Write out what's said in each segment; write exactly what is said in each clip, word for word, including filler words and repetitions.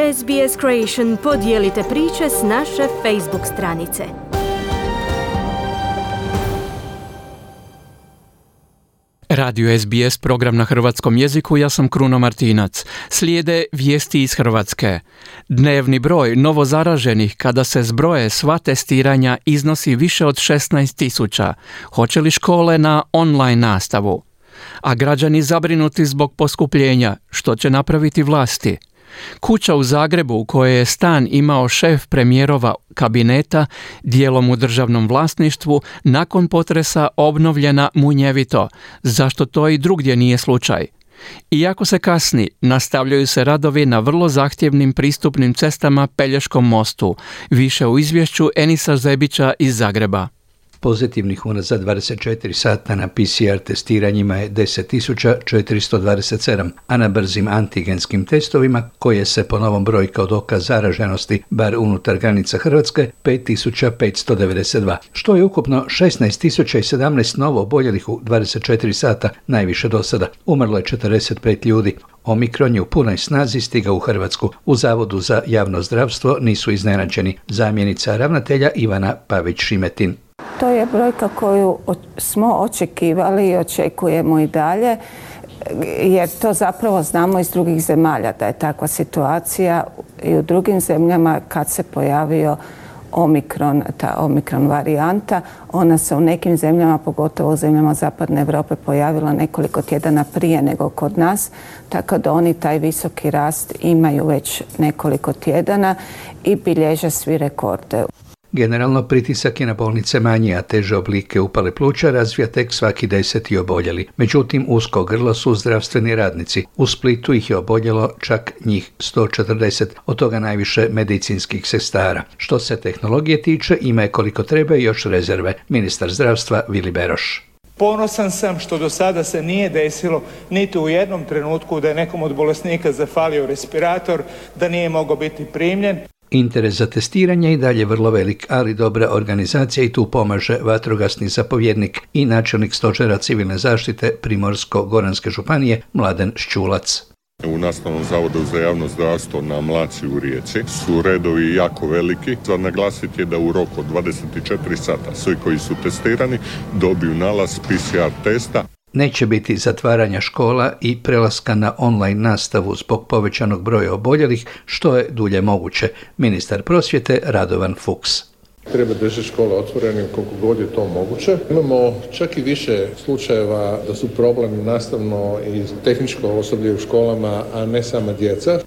S B S Creation podijelite priče s naše Facebook stranice. Radio S B S, program na hrvatskom jeziku, ja sam Kruno Martinac. Slijede vijesti iz Hrvatske. Dnevni broj novozaraženih kada se zbroje sva testiranja iznosi više od šesnaest tisuća. Hoće li škole na online nastavu? A građani zabrinuti zbog poskupljenja, što će napraviti vlasti? Kuća u Zagrebu u kojoj je stan imao šef premijerova kabineta, dijelom u državnom vlasništvu, nakon potresa obnovljena munjevito. Zašto to i drugdje nije slučaj? Iako se kasni, nastavljaju se radovi na vrlo zahtjevnim pristupnim cestama Pelješkom mostu. Više u izvješću Enisa Zebića iz Zagreba. Pozitivnih unazad dvadeset četiri sata na P C R testiranjima je deset tisuća četiristo dvadeset sedam, a na brzim antigenskim testovima, koje se po novom broji kao dokaz zaraženosti bar unutar granica Hrvatske, pet tisuća petsto devedeset dva, što je ukupno šesnaest tisuća sedamnaest novo oboljelih u dvadeset četiri sata, najviše do sada. Umrlo je četrdeset pet ljudi. Omikron je u punoj snazi stigao u Hrvatsku. U Zavodu za javno zdravstvo nisu iznenađeni. Zamjenica ravnatelja Ivana Pavić-Šimetin. To je brojka koju smo očekivali i očekujemo i dalje, jer to zapravo znamo iz drugih zemalja da je takva situacija i u drugim zemljama kad se pojavio Omikron, ta Omikron varijanta. Ona se u nekim zemljama, pogotovo u zemljama Zapadne Europe, pojavila nekoliko tjedana prije nego kod nas, tako da oni taj visoki rast imaju već nekoliko tjedana i bilježe svi rekorde. Generalno pritisak je na bolnice manji, a teže oblike upale pluća razvija tek svaki deseti oboljeli. Međutim, usko grlo su zdravstveni radnici. U Splitu ih je oboljelo čak njih sto četrdeset, od toga najviše medicinskih sestara. Što se tehnologije tiče, ima je koliko treba i još rezerve. Ministar zdravstva Vili Beroš. Ponosan sam što do sada se nije desilo niti u jednom trenutku da je nekom od bolesnika zafalio respirator, da nije mogao biti primljen. Interes za testiranje i dalje vrlo velik, ali dobra organizacija i tu pomaže vatrogasni zapovjednik i načelnik stožera civilne zaštite Primorsko-goranske županije Mladen Šćulac. U Nastavnom zavodu za javno zdravstvo na Mlaci u Rijeci su redovi jako veliki. Za naglasiti je da u roku od dvadeset četiri sata svi koji su testirani dobiju nalaz P C R testa. Neće biti zatvaranja škola i prelaska na online nastavu zbog povećanog broja oboljelih, što je dulje moguće. Ministar prosvjete Radovan Fuchs. Treba držati škole otvorenim koliko god je to moguće. Imamo čak i više slučajeva da su problem nastavno i tehničko osoblje u školama, a ne sama djeca.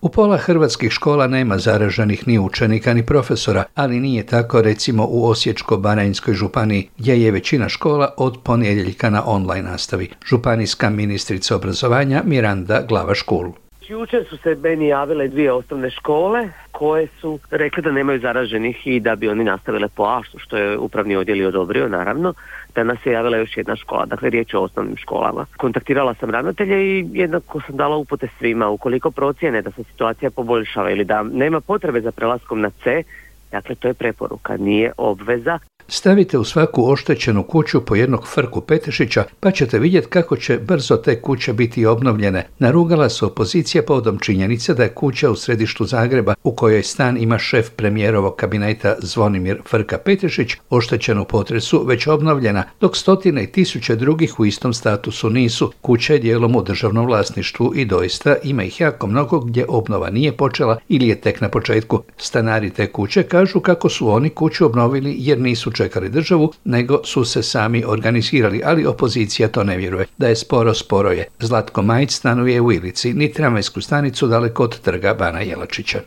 U pola hrvatskih škola nema zaraženih ni učenika ni profesora, ali nije tako recimo u Osječko-baranjskoj županiji, gdje je većina škola od ponedjeljka na online nastavi. Županijska ministrica obrazovanja Miranda Glavaš-Kul. Jučer su se meni javile dvije osnovne škole koje su rekli da nemaju zaraženih i da bi oni nastavile po aštu, što je upravni odjel i odobrio, naravno. Danas je javila još jedna škola, dakle riječ je o osnovnim školama. Kontaktirala sam ravnatelje i jednako sam dala upute svima. Ukoliko procijene da se situacija poboljšava ili da nema potrebe za prelaskom na C, dakle to je preporuka, nije obveza. Stavite u svaku oštećenu kuću po jednog frku petešića, pa ćete vidjeti kako će brzo te kuće biti obnovljene. Narugala se opozicija povodom činjenice da je kuća u središtu Zagreba, u kojoj stan ima šef premijerovog kabineta Zvonimir Frka Petešić, oštećena u potresu, već obnovljena, dok stotine i tisuće drugih u istom statusu nisu. Kuća je dijelom u državnom vlasništvu i doista ima ih jako mnogo gdje obnova nije počela ili je tek na početku. Stanari te kuće kažu kako su oni kuću obnovili jer nisu čekali državu, nego su se sami organizirali, ali opozicija to ne vjeruje. Da je sporo, sporo je. Zlatko Majić stanuje u Ilici, ni tramvajsku stanicu daleko od trga Bana Jelačića.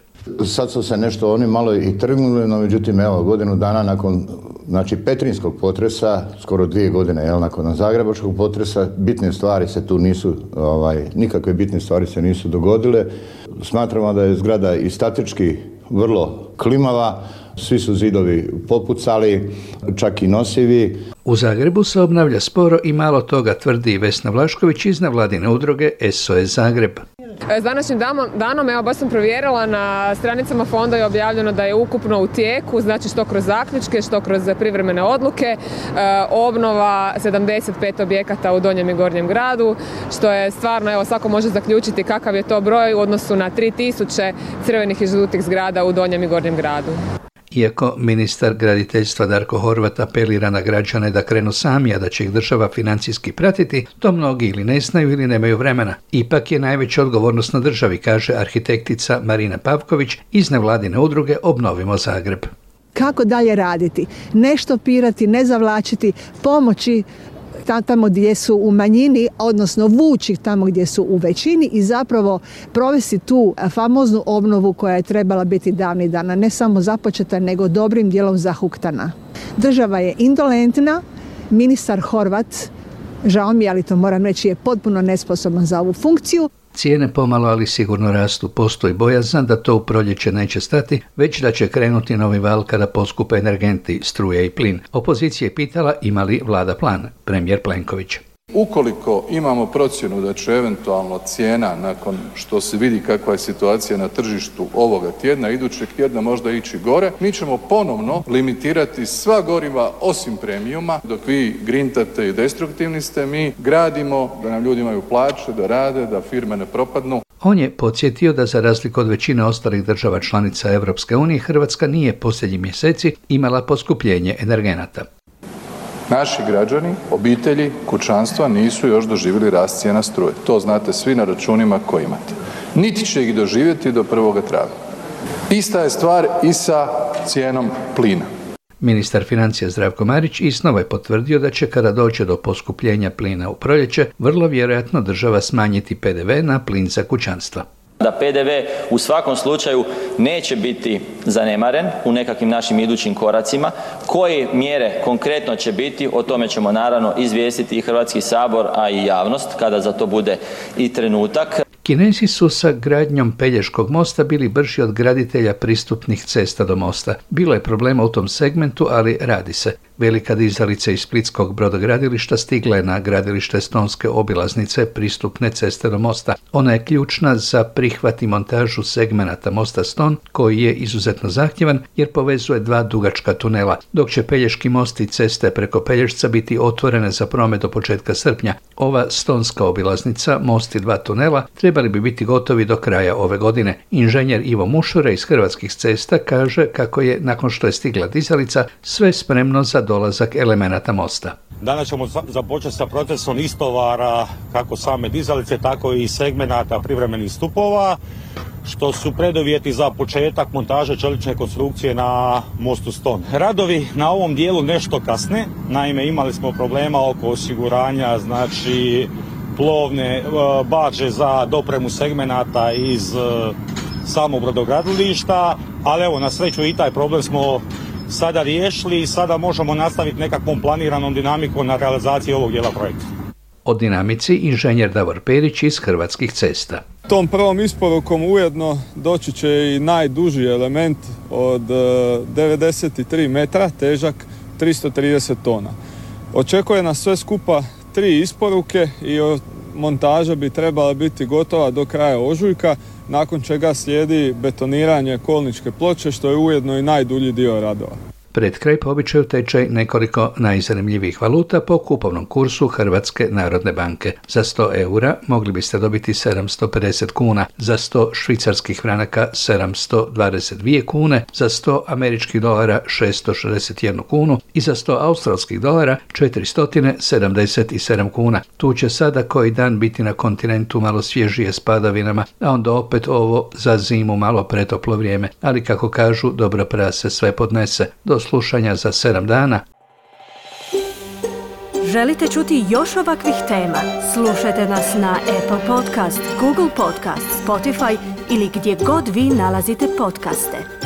Sad su se nešto oni malo i trgnuli, no međutim evo godinu dana nakon znači petrinjskog potresa, skoro dvije godine jel, nakon zagrebačkog potresa, bitne stvari se tu nisu, ovaj, nikakve bitne stvari se nisu dogodile. Smatramo da je zgrada i statički vrlo klimava, svi su zidovi popucali, čak i nosivi. U Zagrebu se obnavlja sporo i malo toga, tvrdi Vesna Vlašković iz nevladine udruge S O S Zagreb. S današnjim danom, evo baš sam provjerila, na stranicama fonda je objavljeno da je ukupno u tijeku, znači što kroz zaključke, što kroz privremene odluke, e, obnova sedamdeset pet objekata u Donjem i Gornjem gradu, što je stvarno, evo svako može zaključiti kakav je to broj u odnosu na tri tisuće crvenih i žutih zgrada u Donjem i Gornjem gradu. Iako ministar graditeljstva Darko Horvat apelira na građane da krenu sami, a da će ih država financijski pratiti, to mnogi ili ne znaju ili nemaju vremena. Ipak je najveća odgovornost na državi, kaže arhitektica Marina Pavković iz nevladine udruge Obnovimo Zagreb. Kako dalje raditi? Ne štopirati, ne zavlačiti, pomoći tamo gdje su u manjini, odnosno vući tamo gdje su u većini i zapravo provesti tu famoznu obnovu koja je trebala biti davnih dana, ne samo započeta, nego dobrim dijelom zahuktana. Država je indolentna, ministar Horvat, žao mi je, ali to moram reći, je potpuno nesposoban za ovu funkciju. Cijene pomalo, ali sigurno rastu. Postoji bojazan da to u proljeće neće stati, već da će krenuti novi val kada poskupe energenti, struje i plin. Opozicija je pitala ima li vlada plan. Premijer Plenković. Ukoliko imamo procjenu da će eventualno cijena, nakon što se vidi kakva je situacija na tržištu ovoga tjedna, idućeg tjedna možda ići gore, mi ćemo ponovno limitirati sva goriva osim premiuma. Dok vi grintate i destruktivni ste, mi gradimo da nam ljudi imaju plaće, da rade, da firme ne propadnu. On je podsjetio da za razliku od većine ostalih država članica Europske unije, Hrvatska nije posljednjih mjeseci imala poskupljenje energenata. Naši građani, obitelji, kućanstva nisu još doživjeli rast cijena struje. To znate svi na računima koje imate. Niti će ih doživjeti do prvog travnja. Ista je stvar i sa cijenom plina. Ministar financija Zdravko Marić iznova je potvrdio da će kada dođe do poskupljenja plina u proljeće, vrlo vjerojatno država smanjiti P D V na plin za kućanstva. Da P D V u svakom slučaju neće biti zanemaren u nekakvim našim idućim koracima. Koje mjere konkretno će biti, o tome ćemo naravno izvijestiti i Hrvatski sabor, a i javnost kada za to bude i trenutak. Kinezi su sa gradnjom Pelješkog mosta bili brži od graditelja pristupnih cesta do mosta. Bilo je problema u tom segmentu, ali radi se. Velika dizalica iz splitskog brodogradilišta stigla je na gradilište Stonske obilaznice pristupne ceste do mosta. Ona je ključna za prihvat i montažu segmenata mosta Ston, koji je izuzetno zahtjevan jer povezuje dva dugačka tunela, dok će Pelješki most i ceste preko Pelješca biti otvorene za promet do početka srpnja. Ova Stonska obilaznica, most i dva tunela trebali bi biti gotovi do kraja ove godine. Inženjer Ivo Mušure iz Hrvatskih cesta kaže kako je, nakon što je stigla dizalica, sve spremno za dolazak elemenata mosta. Danas ćemo započeti sa procesom istovara kako same dizalice, tako i segmenata privremenih stupova, što su preduvjeti za početak montaže čelične konstrukcije na mostu Ston. Radovi na ovom dijelu nešto kasne, naime imali smo problema oko osiguranja, znači plovne barže za dopremu segmenata iz samog brodogradilišta, ali evo na sreću i taj problem smo sada riješili i sada možemo nastaviti nekakvom planiranom dinamikom na realizaciji ovog dijela projekta. O dinamici inženjer Davor Perić iz Hrvatskih cesta. Tom prvom isporukom ujedno doći će i najduži element od devedeset tri metra, težak tristo trideset tona. Očekuje nas sve skupa tri isporuke i montaža bi trebala biti gotova do kraja ožujka, nakon čega slijedi betoniranje kolničke ploče, što je ujedno i najdulji dio radova. Pred kraj po običaju tečaj nekoliko najzanimljivijih valuta po kupovnom kursu Hrvatske narodne banke. Za sto eura mogli biste dobiti sedamsto pedeset kuna, za sto švicarskih franaka sedamsto dvadeset dvije kune, za sto američkih dolara šesto šezdeset jednu kunu i za sto australskih dolara četiristo sedamdeset sedam kuna. Tu će sada koji dan biti na kontinentu malo svježije s padavinama, a onda opet ovo za zimu malo pretoplo vrijeme, ali kako kažu, dobro prase sve podnese. Do slušanja za sedam dana. Želite čuti još ovakvih tema? Slušajte nas na Apple Podcast, Google Podcast, Spotify ili gdje god vi nalazite podcaste.